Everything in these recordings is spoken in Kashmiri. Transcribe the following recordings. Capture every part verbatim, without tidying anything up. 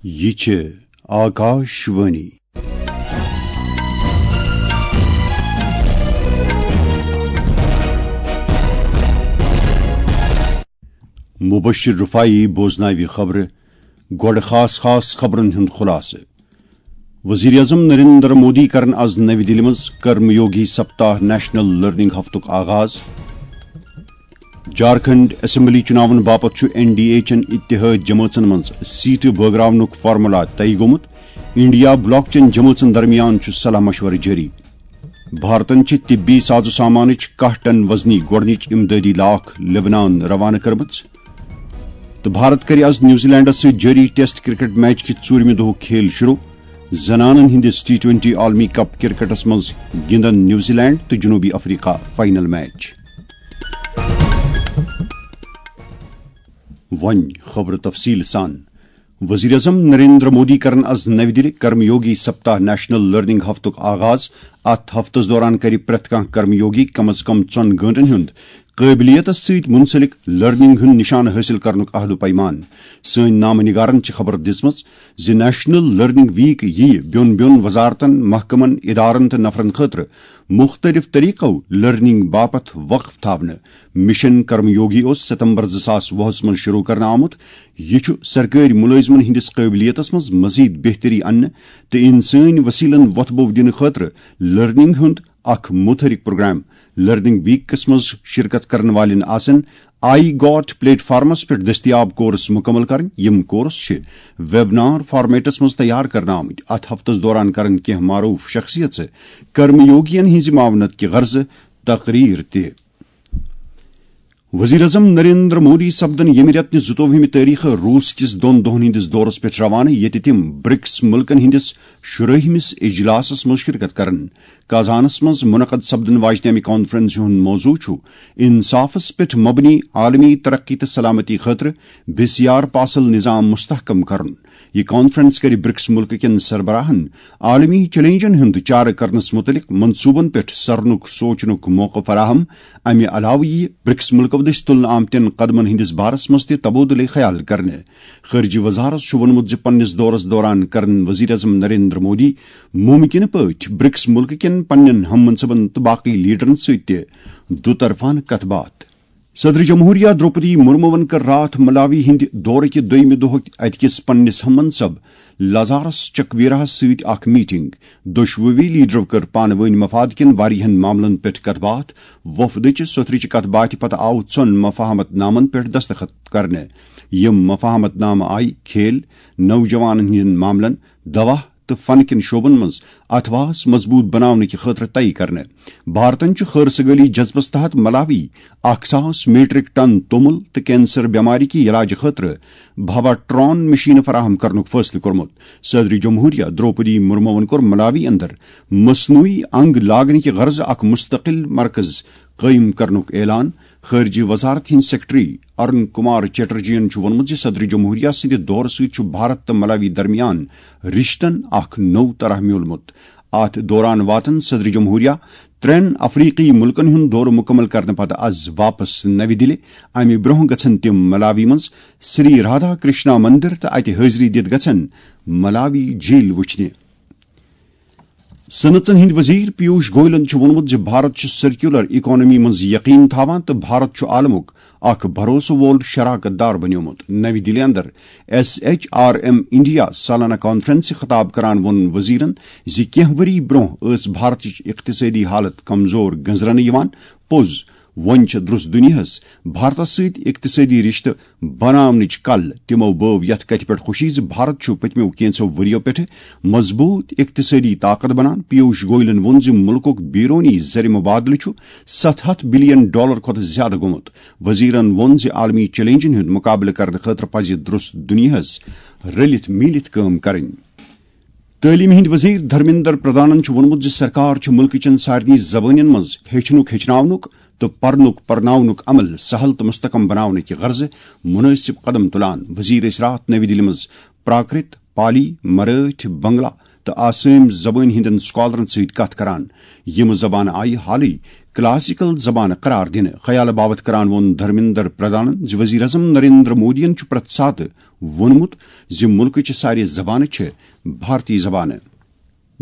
یہِ چھِ آکاش وانی۔ مبشر رفاعی بوزناوِ خبرٕ۔ گۄڈٕ خاص خاص خبرن ہُنٛد خلاصہٕ۔ وزیر اعظم نریندر مودی کرن از نوِ دِلہِ منٛز کرم یوگی سپتاہ نیشنل لرننگ ہفتُک آغاز۔ جھارکھنڈ اسمبلی چُناون باپتھ چھُ این ڈی اے چٮ۪ن اتحاد جمٲژن منٛز سیٹہٕ بٲگراونُک فارمولا طے گوٚمُت۔ انڈیا بلاک چٮ۪ن جمٲژن درمیان چھُ صلاح مشورٕ جٲری۔ بھارتن چھِ طبی ساز و سامانٕچ کاہ ٹن وزنی گۄڈٕنِچ امدادی لاکھ لبنان روانہٕ کٔرمٕژ۔ تہٕ بھارت کرِ از نیوزی لینڈس سۭتۍ جٲری ٹیسٹ کرکٹ میچ کہِ ژوٗرمہِ دۄہُک کھیل شروع۔ زنانن ہٕنٛدِس ٹی ٹوینٹی عالمی کپ کرکٹس منٛز گِنٛدن نیوزی لینڈ تہٕ جنوبی افریقہ فائنل میچ۔ وۄنۍ خبرٕ تفصیٖل سان۔ وزیر اعظم نریندر مودی کرن از نوِ دِلہِ کرم یوگی سپتاہ نیشنل لرننگ ہفتُک آغاز۔ اتھ ہفتس دوران کرِ پرٛٮ۪تھ کانٛہہ کرم یوگی کم از کم ژۄن گٲنٛٹن ہُنٛد قٲبلیتس سۭتۍ منسلک لرننگ ہُنٛد نشانہٕ حٲصِل کرنُک عہد و پیمان۔ سٲنۍ نامہٕ نگارن چھِ خبر دِژمٕژ زِ نیشنل لرننگ ویک یِیہِ بیوٚن بیوٚن وزارتن، محکمن، ادارن تہٕ نفرن خٲطرٕ مُختٔلِف طٔریٖقو لرننگ باپتھ وقف تھاونہٕ۔ مشن کرم یوگی اوس ستمبر زٕ ساس وُہس منٛز شروع کرنہٕ آمُت۔ یہِ چھُ سرکٲرۍ مُلٲزمن ہٕنٛدِس قٲبلیتس منٛز مزید بہتری اننہٕ تہٕ انسٲنۍ وسیلن وۄتھٕ بوٚو دِنہٕ خٲطرٕ لرننگ ہُنٛد اکھ متحرک پروگرام۔ لرننگ ویکس منٛز شرکت کرن والٮ۪ن آسن آئی گاٹ پلیٹ فارمس پٮ۪ٹھ دٔستیاب کورس مکمل کرٕنۍ۔ یِم کورس چھِ ویبنار فارمیٹس منٛز تیار کرنہٕ آمٕتۍ۔ اتھ ہفتس دوران کرن کینٛہہ معروف شخصیژٕ کرم یوگین ہٕنٛزِ معاونت کہِ غرضہٕ تقریر تہِ۔ وزیر اعظم نریندر مودی سپدن ییٚمہِ رٮ۪تہٕ نہِ زٕتووُہمہِ تٲریخہٕ روٗس کِس دۄن دۄہن ہٕنٛدِس دورس پٮ۪ٹھ روانہٕ، ییٚتہِ تِم برکس مُلکن ہٕنٛدِس شُرٲہمِس اجلاسس منٛز شرکت کرن۔ کازانس منٛز منعقد سپدن واجنہِ امہِ کانفرنسہِ ہُنٛد موضوع چھُ انصافس پٮ۪ٹھ مبنی عالمی ترقی تہٕ سلامتی خٲطرٕ بے سیار پاسل نظام مستحکم کرُن۔ یہِ کانفرنس کرِ برکس مُلکہٕ کٮ۪ن سربراہن عالمی چیلنجن ہُنٛد چارٕ کرنس مُتعلق منصوٗبن پٮ۪ٹھ سرنُک سونچنُک موقعہٕ فراہم۔ امہِ علاوٕ یِیہِ برکس مُلکو دٔسۍ تُلنہٕ آمتٮ۪ن قدمن ہٕنٛدِس بارس منٛز تہِ تبادلہٕ خیال کرنہٕ۔ خارجہ وزارت چھُ ووٚنمُت زِ پننِس دورس دوران کرن وزیر اعظم نریندر مودی ممکنہٕ پٲٹھۍ برکس مُلکہٕ کٮ۪ن پننٮ۪ن ہم منصبن تہٕ باقی لیڈرن سۭتۍ تہِ دُطرفانہٕ کتھ باتھ۔ صدر جمہوریہ درٛوپدی مرموَن کٔر راتھ ملاوی ہٕنٛدِ دورٕ کہِ دوٚیمہِ دۄہٕکۍ اَتہِ کِس پننِس ہم منصب لازارس چکویراہس سۭتۍ اکھ میٹنگ۔ دۄشوٕے لیڈرو کٔر پانہٕ وٲنۍ مفاد کٮ۪ن واریاہن معاملن پٮ۪ٹھ کتھ باتھ۔ وفدٕچہِ سوٚتھرٕچہِ کتھ باتھِ پتہٕ آو ژۄن مفاہمت نامن پٮ۪ٹھ دستخط کرنہٕ۔ یِم مفاہمت نامہٕ آیہِ کھیل، نوجوانن ہٕنٛدٮ۪ن معاملن، دوا تہٕ فن کٮ۪ن شعبن منٛز اتھواس مضبوط بناونہٕ کہِ خٲطرٕ طے کرنہٕ۔ بھارتن چھُ خٲر سگٲلی جذبس تحت ملاوی اکھ ساس میٹرک ٹن توٚمُل تہٕ کینسر بٮ۪مارِ کہِ علاجہٕ خٲطرٕ بھاوا ٹران مشینہٕ فراہم کرنُک فٲصلہٕ کوٚرمُت۔ صدر جمہوریہ درٛوپدی مرموَن کوٚر ملاوی اندر مصنوعی انگ لاگنہٕ کہِ غرضہٕ اکھ مستقل مرکز قٲیِم کرنُک اعلان۔ خارجہ وزارت ہٕنٛدۍ سیکرٹری ارون کمار چیٹرجین چھُ ووٚنمُت زِ صدر جمہوریہ سٕنٛدِ دورٕ سۭتۍ چھُ بھارت تہٕ ملاوی درمیان رشتن اکھ نوٚو طرح میوٗلمُت۔ اتھ دوران واتن صدر جمہوریہ ترٛٮ۪ن افریقی مُلکن ہُنٛد دورٕ مُکمل کرنہٕ پتہٕ از واپس نوِ دِلہِ۔ امہِ برٛونٛہہ گژھن تِم ملاوی منٛز سری رادھا کرشنا مندر تہٕ اتہِ حٲضری دِتھ گژھن ملاوی جھیل وٕچھنہِ۔ صنعژن ہٕنٛدۍ وزیر پیوش گوئلن چھُ ووٚنمُت زِ بھارت چھُ سرکیولر اکانومی منٛز یقین تھاوان تہٕ بھارت چھُ عالمُک اکھ بھروسہٕ وول شراکت دار بنیومُت۔ نوِ دِلہِ اندر S H R M India سالانہ کانفرنسہِ خطاب کران ووٚن وزیرن زِ کینٛہہ ؤری برٛونٛہہ ٲس بھارتٕچ اقتصٲدی حالت کمزور گنزرنہٕ یِوان۔ پوٚز، وۄنۍ چھِ درٛس دُنیاہس بھارتس سۭتۍ اقتصٲدی رشتہٕ بناونٕچ کل۔ تِمو بٲو یتھ کتھِ پٮ۪ٹھ خوشی زِ بھارت چھُ پٔتمیو کینژھو ؤرِیو پٮ۪ٹھٕ مضبوٗط اقتصٲدی طاقت بنان۔ پیوش گوئلن ووٚن زِ مُلکُک بیرونی زر مبادلہٕ چھُ ستھ ہتھ بلین ڈالر کھۄتہٕ زیادٕ گوٚمُت۔ وزیرن ووٚن زِ عالمی چیلنجن ہُنٛد مقابلہٕ کرنہٕ خٲطرٕ پزِ درٛس دُنیاہس رٔلِتھ میٖلِتھ کٲم کرٕنۍ۔ تعلیمہِ ہٕنٛدۍ وزیر دھرمیندر پردھانن چھُ ووٚنمُت زِ سرکار چھُ مُلکہٕ چٮ۪ن سارنٕے زبٲنٮ۪ن منٛز ہیٚچھنُک ہیٚچھناونُک تہٕ پرنُک پرناونُک عمل سہل تہٕ مستحکم بناونہٕ کہِ غرضہٕ مُنٲسِب قدم تُلان۔ وزیر ٲسۍ راتھ نوِ دِلہِ منٛز پراکرت، پالی، مرٲٹھۍ، بنگلہ تہٕ آسٲمۍ زبٲنۍ ہٕنٛدٮ۪ن سکالرن سۭتۍ کتھ کران۔ یِم زبانہٕ آیہِ حالٕے کلاسیکل زبانہٕ قرار دِنہٕ۔ خیالہٕ باپتھ کران ووٚن دھرمیندر پردھانن زِ وزیر اعظم نریندر مودیَن چھُ پرٛٮ۪تھ ساتہٕ ووٚنمُت زِ مُلکٕچہِ سارے زبانہٕ چھِ بھارتی زبانہٕ۔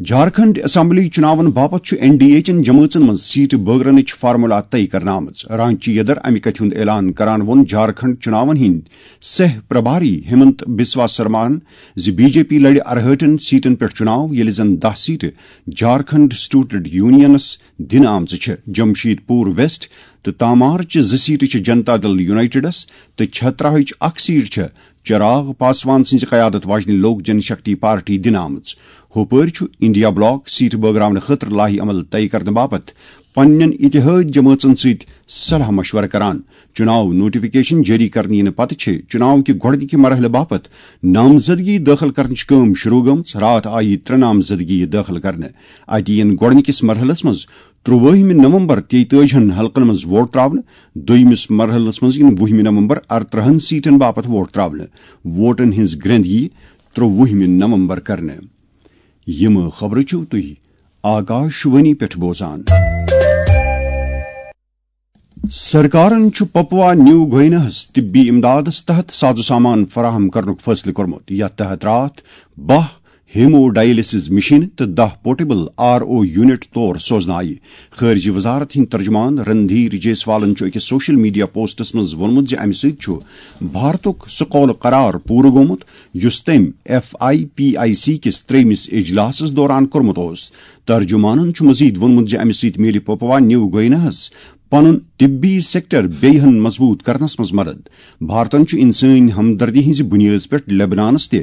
جھارکھنڈ اسمبلی چُناون باپتھ چھُ این ڈی اے چٮ۪ن جمٲژن منٛز سیٹہٕ بٲگرنٕچ فارمولا طے کرنہٕ آمٕژ۔ رانچی یدر امہِ کتھِ ہُنٛد اعلان کران ووٚن جھارکھنڈ چُناون ہٕنٛدۍ سہ پربھاری ہمنت بسوا سرماہن زِ بی جے پی لڑِ ارہٲٹھن سیٹن پٮ۪ٹھ چُناو، ییٚلہِ زن دَہ سیٹہٕ جھارکھنڈ اسٹوڈنٹ یونینس دِنہٕ آمژٕ چھےٚ۔ جمشید پور ویسٹ تہٕ تامارچہِ زٕ سیٹہٕ چھِ جنتا دل یونائیٹڈس تہٕ چھتراہٕچ اکھ سیٹ چھےٚ چراغ پاسوان سٕنٛزِ قیادت واجنہِ لوک جن شکتی پارٹی دِنہٕ آمٕژ۔ ہُپٲرۍ چھُ انڈیا بلاک سیٹ بٲگراونہٕ خٲطرٕ لایحہ عمل طے کرنہٕ باپتھ پننٮ۪ن اتحاد جمٲژن سۭتۍ صلاح مشورٕ کران۔ چُناو نوٹیفکیشن جٲری کرنہٕ یِنہٕ پتہٕ چھِ چُناو کہِ گۄڈٕنِکہِ مرحلہٕ باپتھ نامزدگی دٲخل کرنٕچ کٲم شروع گٔمٕژ۔ راتھ آیہِ ترٛےٚ نامزدگی دٲخل کرنہٕ۔ اَتہِ یِن گۄڈٕنِکِس مرحلس منٛز ترٛووُہمہِ نومبر تیٚتٲجِہن حلقن منٛز ووٹ ترٛاونہٕ، دوٚیمِس مرحلس منٛز یِن وُہمہِ نومبر ارترٕہن سیٹن باپتھ ووٹ ترٛاونہٕ۔ ووٹن ہٕنٛز گرٛنٛد یِیہِ ترٛووُہمہِ نومبر کرنہٕ۔ یِم خبرٕ چھِو تُہۍ آکاش وانی پٮ۪ٹھ بوزان۔ سرکارن چھُ پپوا نیو گویناہس طبی امدادس تحت ساز و سامان فراہم کرنُک فٲصلہٕ کوٚرمُت، یتھ تحت راتھ باہ ہیمو ڈائلسس مشین تہٕ دَہ پورٹیبل آر او یونٹ تور سوزنہٕ آیہِ۔ خارجہ وزارت ہٕنٛدۍ ترجمان رندھیر جیسوالن چھُ أکِس سوشل میڈیا پوسٹس منٛز ووٚنمُت زِ امہِ سۭتۍ چھُ بھارتُک سُہ قول قرار پوٗرٕ گوٚمُت، یُس تٔمۍ F I P I C کِس ترٛیٚیمِس اجلاسس دوران کوٚرمُت اوس۔ ترجمانن چھُ مزید ووٚنمُت زِ امہِ سۭتۍ میلہِ پپوا نیو گویناہس پنُن طبی سیکٹر بیٚیہِ ہن مضبوط کرنس منٛز مدد۔ بھارتن چھُ انسٲنی ہمدردی ہٕنٛزِ بُنیٲدس پٮ۪ٹھ لیبنانس تہِ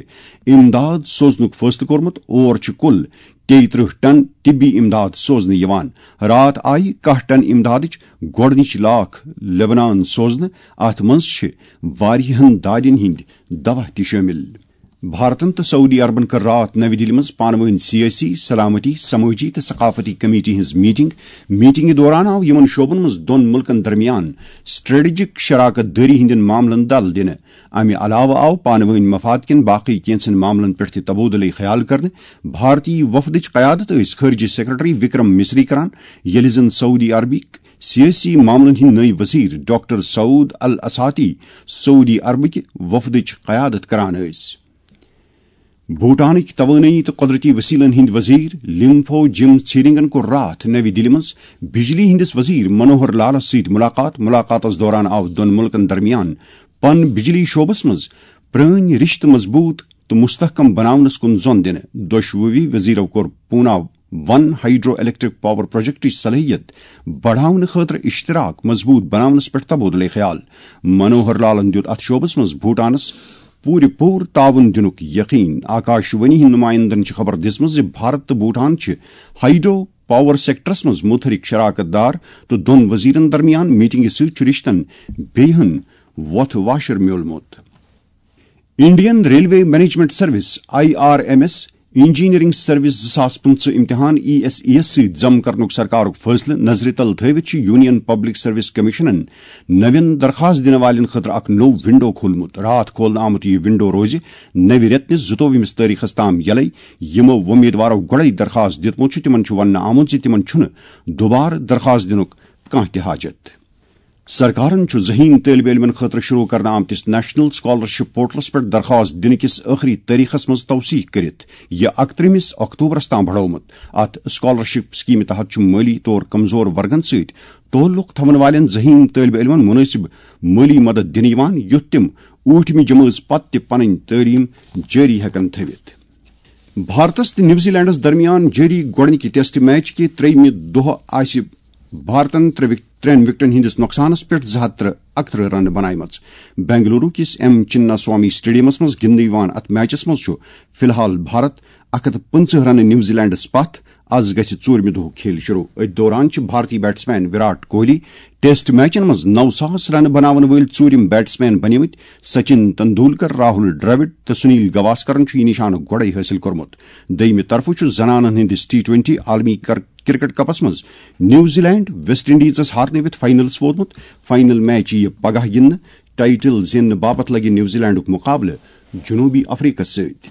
امداد سوزنُک فٲصلہٕ کوٚرمُت۔ اور چھِ کُل تیٚیہِ ترٕٛہ ٹن طبی امداد سوزنہٕ یِوان۔ راتھ آیہِ کاہ ٹن امدادٕچ گۄڈٕنِچ لاکھ لیبنان سوزنہٕ۔ اتھ منٛز چھِ واریاہن دادٮ۪ن ہٕنٛدۍ دوا تہِ شٲمِل۔ بھارتن تہٕ سعودی عربن کٔر راتھ نَوِ دِلہِ منٛز پانہٕ وٲنۍ سیٲسی، سلامتی، سمٲجی تہٕ ثقافتی کمیٹی ہٕنٛز میٹنگ۔ میٹنگہِ دوران آو یِمن شعبن منٛز دۄن مُلکن درمیان اسٹریٹجک شراکت دٲری ہٕنٛدٮ۪ن معاملن دل دِنہٕ۔ امہِ علاوٕ آو پانہٕ وٲنۍ مفاد کٮ۪ن باقٕے کینٛژن معاملن پٮ۪ٹھ تہِ تبادلہٕ خیال کرنہٕ۔ بھارتی وفدٕچ قیادت ٲسۍ خارجہ سیکرٹری وکرم مصری کران، ییٚلہِ زن سعودی عربٕکۍ سیٲسی معاملن ہٕنٛدۍ نٔوۍ وزیر ڈاکٹر سعود الاساتی سعودی عربٕکہِ وفدٕچ قیادت کران ٲسۍ۔ بھوٹانٕکۍ توانٲیی تہٕ قۄدرٔتی وسیلن ہٕنٛدۍ وزیر لِنگفو جِم ژھیرنگن کوٚر راتھ نَوِ دِلہِ منٛز بجلی ہٕنٛدِس وزیر منوہر لالس سۭتۍ مُلاقات۔ مُلاقاتس دوران آو دۄن مُلکن درمیان پن بجلی شعبس منٛز پرٲنۍ رشتہٕ مضبوط تہٕ مستحکم بناونس کُن زۄن دِنہٕ۔ دۄشوٕے وزیرو کوٚر پونا ون ہائیڈرو الیکٹرک پاور پروجیکٹٕچ صلٲحیت بڑاونہٕ خٲطرٕ اشتراک مضبوط بناونس پٮ۪ٹھ تبادلہٕ خیال۔ منوہر لالن دیُت اتھ شعبس منٛز بھوٹانس پوٗرٕ پوٗرٕ تعاون دِنُک یقین۔ آکاش وانی ہٕنٛدۍ نمائندن چھِ خبر دِژمٕژ زِ بھارت تہٕ بھوٹان چھِ ہائیڈرو پاور سیکٹرس منٛز متحرک شراکت دار تہٕ دۄن وزیرن درمیان میٹنگہِ سۭتۍ چھُ رشتن بیٚیہِ ہن وۄتھ واشر میوٗلمُت۔ Indian railway management service, I R M S, engineering service زٕ ساس پٕنٛژٕہ امتحان ای ایس ای یس سۭتۍ ضم کرنُک سرکارُک فٲصلہٕ نظرِ تل تھٲوِتھ چھُ یونین پبلک سروس کمیشنن نوٮ۪ن درخواست دِنہٕ والٮ۪ن خٲطرٕ اکھ نوٚو ونڈو کھولمُت۔ راتھ کھولنہٕ آمُت یہِ ونڈو روزِ نوِ رٮ۪تہٕ نِس زٕتووُہمِس تٲریخس تام یلے۔ یِمو وۄمیدوارو گۄڈے درخواست دِیُتمُت چھُ، تِمن چھُ وننہٕ آمُت زِ تِمن چھُنہٕ دوبارٕ درخواست دِنُک کانٛہہ تہِ حاجت۔ سرکارن چھُ ذہین طٲلبہِ علمن خٲطرٕ شروع کرنہٕ آمتِس نیشنل اسکالرشپ پورٹلس پٮ۪ٹھ درخواست دِنہٕ کِس ٲخری تٲریخس منٛز توثیق کٔرِتھ یہِ اکترٕہمِس اکتوبرس تام بڑومُت۔ اتھ اسکالرشپ سکیمہِ تحت چھُ مٲلی طور کمزور ورگن سۭتۍ تعلق تھاون والٮ۪ن ذہین طٲلبہِ علمن مناسب مٲلی مدد دِنہٕ یِوان، یُتھ تِم ٲٹھمہِ جمٲژ پتہٕ تہِ پنٕنۍ تعلیٖم جٲری ہٮ۪کن تھٲوِتھ۔ بھارتس تہٕ نیوزی لینڈس درمیان جٲری گۄڈٕنِکہِ ٹیسٹ میچ کہِ ترٛیٚیمہِ دۄہ آسہِ بھارتن ترٛےٚ وک-، ترٛٮ۪ن وکٹن ہٕنٛدِس نۄقصانس پٮ۪ٹھ زٕ ہتھ تہٕ اکترٕہ رنہٕ بناومژٕ۔ بنگلورو کِس ایم چنا سوامی اسٹیڈیمس منٛز گِنٛدنہٕ یِوان اتھ میچس منٛز چھُ فی الحال بھارت اکھ ہتھ پٕنٛژٕہ رنہٕ نیوزی لینڈس پتھ۔ از گژھِ ژوٗرمہِ دۄہُک کھیل شروع۔ أتھۍ دوران چھِ بھارتی بیٹسمین وراٹ کوہلی ٹیسٹ میچن منٛز نو ساس رنہٕ بناون وٲلۍ ژوٗرِم بیٹسمین بنیمٕتۍ۔ سچن تندولکر، راہل ڈراوڈ تہٕ سنیل گواسکرن چھُ یہِ نشانہٕ گۄڈے حٲصِل کوٚرمُت۔ دوٚیمہِ طرفہٕ چھُ زنانن ہٕنٛدِس ٹی ٹوینٹی عالمی کر-، کرکٹ کپس منٛز نیوزی لینڈ ویسٹ انڈیزس ہارنٲوِتھ فاینلس ووتمُت۔ فاینل میچ یِیہِ پگاہ گِنٛدنہٕ۔ ٹائٹل زیننہٕ باپتھ لگہِ نیوزی لینڈُک مقابلہٕ جنوبی افریقس سۭتۍ۔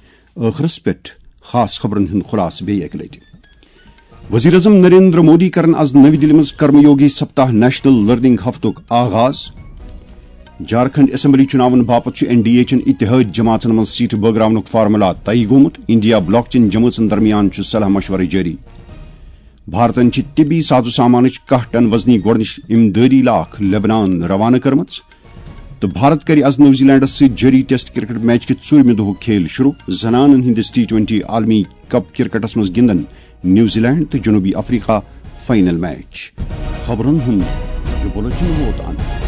ٲخرس پٮ۪ٹھ خاص خبرن ہُنٛد خلاصہٕ بیٚیہِ اکہِ لٹہِ۔ وزیر اعظم نریندر مودی کرن از نوی دِلہِ منٛز کرم یوگی سپتاہ نیشنل لرننگ ہفتُک آغاز۔ جھارکھنڈ اسمبلی چُناون باپتھ چھُ این ڈی اے چٮ۪ن اتحٲدۍ جماژن منٛز سیٹہٕ بٲگراونُک فارمولا طے گوٚمُت۔ انڈیا بلاک چٮ۪ن جمٲژن درمیان چھُ صلاح مشورٕ جٲری۔ بھارتن چھِ طبی ساز و سامانٕچ کاہ ٹن وزنی گۄڈٕنِچ امدٲری لاکھ لبنان روانہٕ کٔرمٕژ۔ تہٕ بھارت کرِ از نیوزی لینڈس سۭتۍ جٲری ٹیسٹ کرکٹ میچ کہِ ژوٗرمہِ دۄہُک کھیل شروع۔ زنانن ہٕنٛدِس ٹی ٹوینٹی عالمی کپ کرکٹس منٛز گِنٛدن نیوزی لینڈ تہٕ جنوبی افریقہ فائنل میچ۔ خبرن ہُنٛد یہِ بُلٹن ووت اند۔